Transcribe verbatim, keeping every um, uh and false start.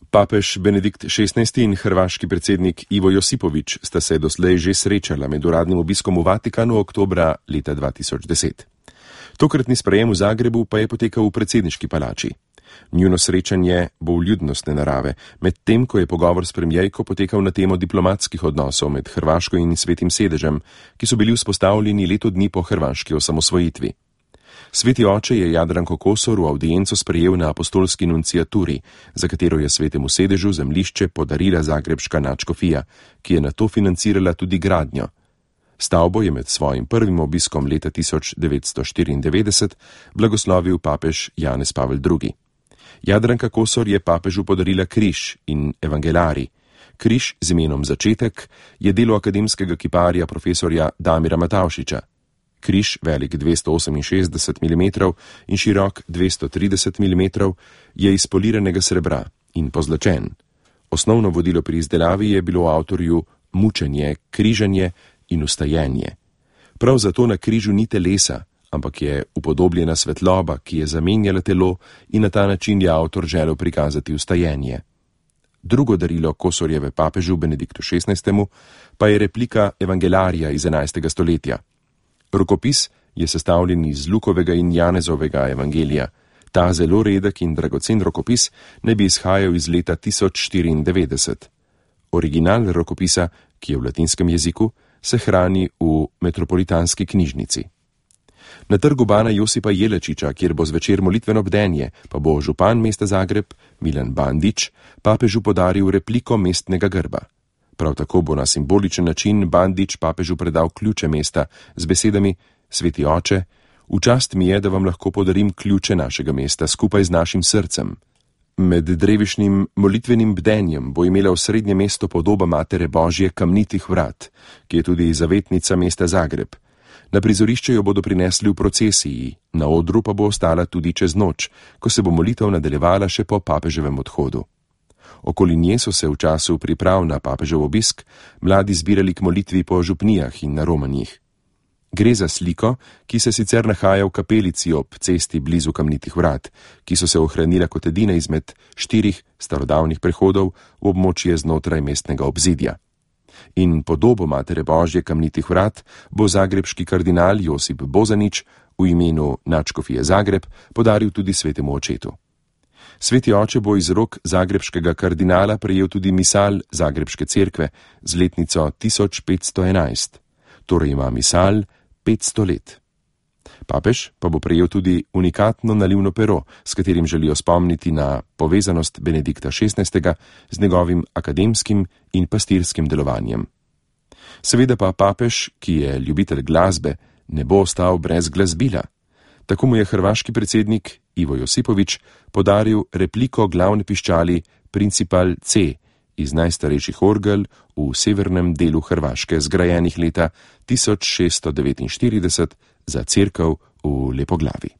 Papež Benedikt šestnajsti in hrvaški predsednik Ivo Josipović sta se doslej že srečala med uradnim obiskom v Vatikanu oktobra leta dva tisoč deset. Tokratni sprejem v Zagrebu pa je potekal v predsedniški palači. Njuno srečanje bo vljudnostne narave, medtem ko je pogovor s premijejko potekal na temo diplomatskih odnosov med Hrvaško in Svetim sedežem, ki so bili vzpostavljeni leto dni po hrvaški osamosvojitvi. Sveti oče je Jadranko Kosor v avdienco sprejel na apostolski nunciaturi, za katero je Svetemu sedežu zemljišče podarila zagrebška nadškofija, ki je nato financirala tudi gradnjo. Stavbo je med svojim prvim obiskom leta tisoč devetsto štiriindevetdeset blagoslovil papež Janez Pavel drugi. Jadranka Kosor je papežu podarila križ in evangelarij. Križ z imenom Začetek je delo akademskega kiparja profesorja Damira Matavšiča. Križ, velik dvesto oseminšestdeset milimetrov in širok dvesto trideset milimetrov, je iz poliranega srebra in pozlačen. Osnovno vodilo pri izdelavi je bilo avtorju mučenje, križanje in ustajenje. Prav zato na križu ni telesa, ampak je upodobljena svetloba, ki je zamenjala telo, in na ta način je avtor želel prikazati ustajenje. Drugo darilo Kosorjeve papežu Benediktu šestnajstemu pa je replika evangelarija iz enajstega stoletja. Rokopis je sestavljen iz Lukovega in Janezovega evangelija. Ta zelo redek in dragocen rokopis ne bi izhajal iz leta tisoč štiriindevetdeset. Original rokopisa, ki je v latinskem jeziku, se hrani v metropolitanski knjižnici. Na trgu Bana Josipa Jelačiča, kjer bo zvečer molitveno bdenje, pa bo župan mesta Zagreb, Milan Bandić, papežu podaril repliko mestnega grba. Prav tako bo na simboličen način Bandić papežu predal ključe mesta z besedami: Sveti oče, v čast mi je, da vam lahko podarim ključe našega mesta skupaj z našim srcem. Med drevišnim molitvenim bdenjem bo imela v srednje mesto podoba Matere Božje kamnitih vrat, ki je tudi zavetnica mesta Zagreb. Na prizorišče jo bodo prinesli v procesiji, na odru pa bo ostala tudi čez noč, ko se bo molitev nadaljevala še po papeževem odhodu. Okoli nje so se v času priprav na papežev obisk mladi zbirali k molitvi po župnijah in na romanjih. Gre za sliko, ki se sicer nahaja v kapelici ob cesti blizu kamnitih vrat, ki so se ohranila kot edina izmed štirih starodavnih prehodov v območje znotraj mestnega obzidja. In podobo Matere Božje kamnitih vrat bo zagrebški kardinal Josip Bozanić v imenu nadškofije Zagreb podaril tudi Svetemu očetu. Sveti oče bo iz rok zagrebškega kardinala prejel tudi misal Zagrebške cerkve z letnico tisoč petsto enajst, torej ima misal petsto let. Papež pa bo prejel tudi unikatno nalivno pero, s katerim želijo spomniti na povezanost Benedikta šestnajstega z njegovim akademskim in pastirskim delovanjem. Seveda pa papež, ki je ljubitelj glasbe, ne bo ostal brez glasbila. Tako mu je hrvaški predsednik Ivo Josipović podaril repliko glavne piščali Principal C iz najstarejših orgel v severnem delu Hrvaške, zgrajenih leta tisoč šeststo devetinštirideset za cerkev v Lepoglavi.